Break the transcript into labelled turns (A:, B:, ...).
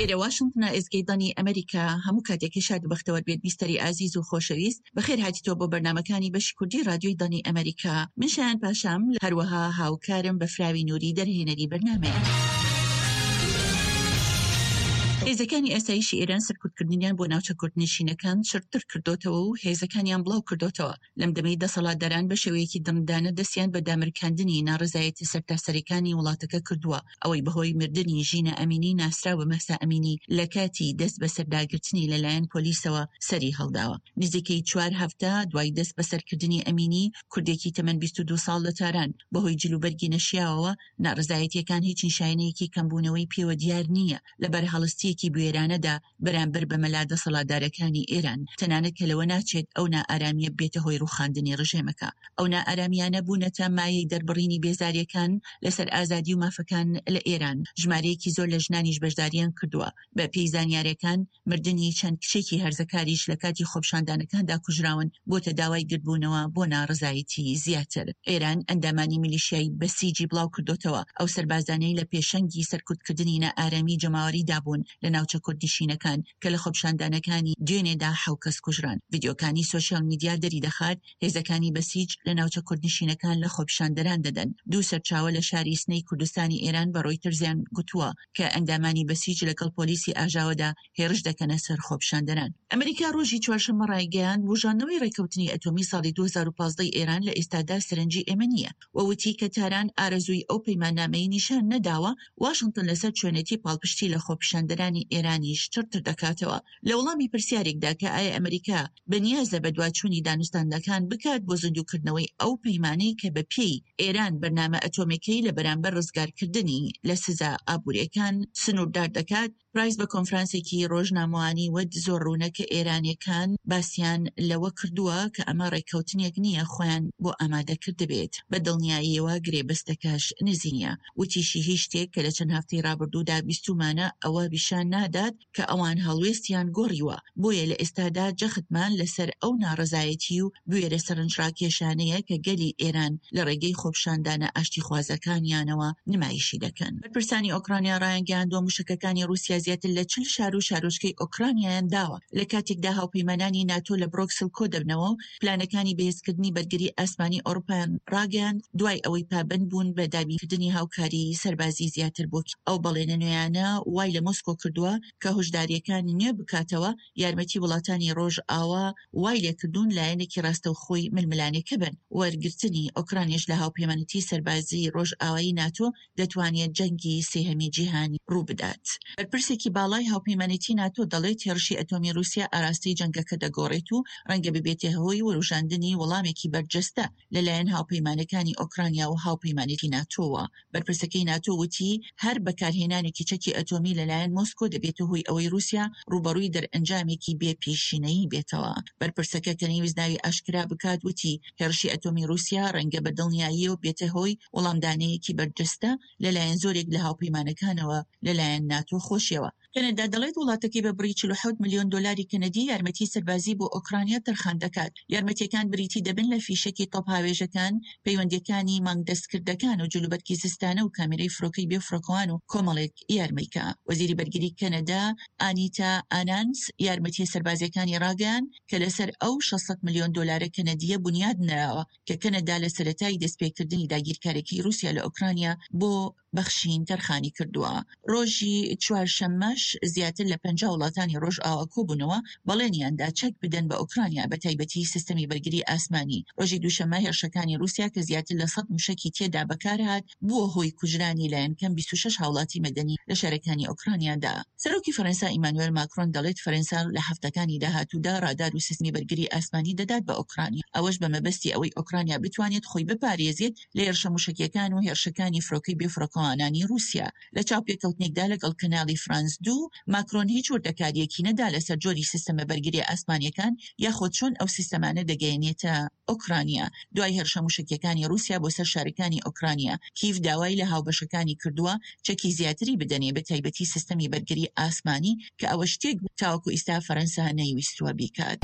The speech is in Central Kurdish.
A: ئێرە واشنتنە، ئێزگەی دەنگی ئەمریکا. هەموو کاتێکی شاد و بەختەوەر بێت بیستەری ئازیز و خۆشەویست. بەخێر هاتیتەوە بۆ بەرنامەکانی بەشی کوردی ڕادیۆی دەنگی ئەمریکا. من شایان پاشام، هەروەها هاوکارم بەفراوی نوری دەرهێنەری بەرنامەیە. هێزەکانی ئاسایشی ئێران سەرکوتکردنیان بۆ ناوچە کوردنشینەکان چڕتر کردۆتەوە و هێزەکانیان بڵاو کردۆتەوە. لەم دەمەی دەسەڵاتداران بە شێوەیەکی دڕندانە دەستیان بە دامرکاندنی ناڕەزایەتیە سەرتاسەریەکانی وڵاتەکە کردووە، ئەوەی بەهۆی مردنی ژینا ئەمینی ناسراو بە مەهسا ئەمینی لە کاتی دەست بەسەرداگرتنی لەلایەن پۆلیسەوە سەری هەڵداوە. نزیکەی چوار هەفتە دوای دەست بەسەرکردنی ئەمینی، کوردێکی تەمەن 22 ساڵ لە تاران، بەهۆی جلوبەرگی نەشیاوەوە، ناڕەزایەتیەکان هیچ نیشانەیەکی کەمبوونەوەی پێوە دیار نییە، لە بەرهەڵستییەکی بوێرانەدا بەرامبەر بە مەلا دەسەڵاتدارەکانی ئێران، تەنانەت کە لەوە ناچێت ئەو نائارامییە ببێتە هۆی ڕووخاندنی ڕژێمەکە. ئەو نائارامییانە بوونەتە مایەی دەربڕینی بێزارییەکان لەسەر ئازادی و مافەکان لە ئێران، ژمارەیەکی زۆر لە ژنانیش بەشدارییان کردووە. بە پێی زانیارەکان مردنی چەند کچێکی هەرزەکاریش لە کاتی خۆپیشاندانەکاندا کوژراون، بۆتە داوای گردبوونەوە بۆ ناڕەزایەتی زیاتر. ئێران ئەندامانی میلیشیای بەسیجی بڵاوکردۆتەوە، ئەو سەربازانەی لە پێشەنگی سەرکوتکردنی نائارامی جەماوەریدا بوون لە ناوچە کوردنشینەکان کە لە خۆپیشاندانەکانی دوێنێدا حەو کەس کوژران. ڤیدیۆکانی سۆشیال میدیا دەریدەخات هێزەکانی بەسیج لە ناوچە کوردنشینەکان لە خۆپیشاندەران دەدەن. دوو سەرچاوە لە شاری سنەی کوردستانی ئێران بە ڕۆیتەرزیان گوتووە کە ئەندامانی بەسیج لەگەڵ پۆلیسی ئاژاوەدا هێرش دەکەنە سەر خۆپیشاندەران. ئەمریکا ڕۆژی چوارشەممە ڕایگەیاند، بوژاندنەوەی ڕێککەوتنی ئەتۆمی ساڵی 2015 ی ئێران لە ئێستادا سەرنجی ئێمە نییە و وتی کە تاران ئارەزووی ئەو پەیماننامەی نیشان نەداوە، واشنتن لەسەر چۆنێتی پاڵپشتی لە خۆپیشاندەرانی ئێرانیش چڕتر دەکاتەوە. لە وەڵامی پرسیارێکدا کە ئایا ئەمریکا بەنیازە بەدواچوونی دانوستاندنەکان بکات بۆ زیندووکردنەوەی ئەو پەیمانەی کە بە پێی ئێران بەرنامە ئەتۆمیەکەی لە بەرامبەر ڕزگارکردنی لە سزا ئابووریەکان سنووردار دەکات، پرایس بە کۆنفرانسێکی ڕۆژنامەوانی وت زۆر ڕوونە کە ئێرانیەکان باسیان لەوە کردووە کە ئەمە ڕێککەوتنێک نییە خۆیان بۆ ئامادە کردبێت، بە دڵنیاییەوە گرێبەستەکەش نزیک نییە. وتیشی هیچ شتێک کە لە چەند هەفتەی ڕابردوودا بیستوومانە ئەوە پیشان نادات کە ئەوان هەڵوێستیان گۆڕیوە، بۆیە لە ئێستادا جەختمان لەسەر ئەو ناڕەزایەتی و بوێرە سەرنجڕاکێشانەیە کە گەلی ئێران لە ڕێگەی خۆپیشاندانە ئاشتیخوازەکانیانەوە نمایشی دەکەن. بەرپرسانی ئۆکرانیا ڕایانگەیاندووە، موشەکەکانی ڕووسیا زیاتر لە 40 شار و شارۆچکەی ئۆکرانیایان داوە، لە کاتێکدا هاوپەیمانانی ناتۆ لە برۆکسل کۆدەبنەوە و پلانەکانی بەهێزکردنی بەرگری ئاسمانی ئەوروپایان ڕاگەیاند دوای ئەوەی پابەند بوون بە دابینکردنی هاوکاری سەربازی زیاتر بۆ کیێڤ. ئەو بەڵێنە نوێیانە وای لە مۆسکۆ کردووە کە هۆشدارییەکانی نوێ بکاتەوە، یارمەتی وڵاتانی ڕۆژئاوا وای لێکردوون لایەنێکی ڕاستەوخۆی ململانێکە بن. وەرگرتنی ئۆکرانیش لە هاوپەیمانێتی سەربازیی ڕۆژئاوایی ناتۆ دەتوانێت جەنگی سێهەمی جیهانی ڕووبدات. بەرپرسێکی باڵای هاوپەیمانێتی ناتۆ دەڵێت هێڕشی ئەتۆمی ڕووسیا ئاراستەی جەنگەکە دەگۆڕێت و ڕەنگە ببێتە هۆی وروژاندنی وەڵامێکی بەرجەستە لەلایەن هاوپەیمانەکانی ئۆکرانیا و هاوپەیمانێتی ناتۆوە. بەرپرسەکەی ناتۆ وتی هەر بەکارهێنانێکی چەکی ئەتۆمی لەلایەن مۆسکۆ دەبێتە هۆی ئەوەی ڕووسیا ڕووبەڕووی دەرئەنجامێکی بێ پێشینەیی بێتەوە. بەرپرسەکە کە نەیویست ناوی ئاشکرا بکات وتی هێڕشی ئەتۆمی ڕووسیا ڕەنگە بە دڵنیاییەوە بێتە هۆی وەڵامدانەیەکی بەرجەستە لەلایەن زۆرێک لە هاوپەیمانەکانەوە لەلایەن ناتۆ خۆشیەوە. کەنەدا دەڵێت وڵاتەکەی بە بڕی 47 ملیۆن دۆلاری کەنەدی یارمەتی سەربازی بۆ ئۆکرانیا تەرخان دەکات. یارمەتیەکان بریتی دەبن لە فیشەکی تۆپهاوێژەکان، پەیوەندیەکانی مانگ دەستکردەکان و جلوبەرگی زستانە و کامێرەی فرۆکەی بێفرۆکەوان و کۆمەڵێک یارمەیکە. وەزیری بەرگری کەنەدا ئانیتا ئانانس یارمەتیە سەربازیەکانی ڕاگەیاند کە لەسەر ئەو 600 ملیۆن دۆلارە کەنەدییە بونیاد نراوە کە کەنەدا لە سەرەتای دەستپێکردنی داگیرکاریەکەی ڕووسیا لە ئۆکرانیا بۆ بەخشین تەرخانی کردووە. ڕۆژی چوارشەممەش زیاتر لە 50 وڵاتانی ڕۆژئاوا کۆبوونەوە بەڵێنیان دا چەک بدەن بە ئۆکرانیا بە تایبەتی سیستەمی بەرگری ئاسمانی. ڕۆژی دووشەممە هێرشەکانی ڕووسیا کە زیاتر لە 100 موشەکی تێدا بەکارهات بووە هۆی کوژرانی لایەنکەم 26 هاوڵاتی مەدەنی لە شارەکانی ئۆکرانیادا. سەرۆکی فەرەنسا ئیمانوێل ماکرۆن دەڵێت فەرەنسا لە هەفتەکانی داهاتوودا ڕادار و سیستمی بەرگری ئاسمانی دەدات بە ئۆکرانیا، ئەوەش بە مەبەستی ئەوەی ئۆکرانیا بتوانێت خۆی بپارێزێت لە هێرشە موشەکییەکان و هێرشەکانی فرۆکەی بێفڕۆکەوانانی ڕووسیا. لە چاوپێکەوتنێکدا لەگەڵ کەناڵی فرانس دوو، ماکرۆن هیچ وردەکارییەکی نەدا لەسەر جۆری سیستەمە بەرگرییە ئاسمانییەکان یاخود چۆن ئەو سیستەمانە دەگەیەنێتە ئۆکرانیا. دوای هێرشە موشەکییەکانی ڕووسیا بۆ سەر شارەکانی ئۆکرانیا، کیڤ داوای لە هاوبەشەکانی کردووە چەکی زیاتری بدەنێ بە تایبەتی سیستەمی بەرگری ئاسمانی کە ئەوە شتێک بوو تاوەکو ئیستا فەرەنسا نەیویستووە بیکات.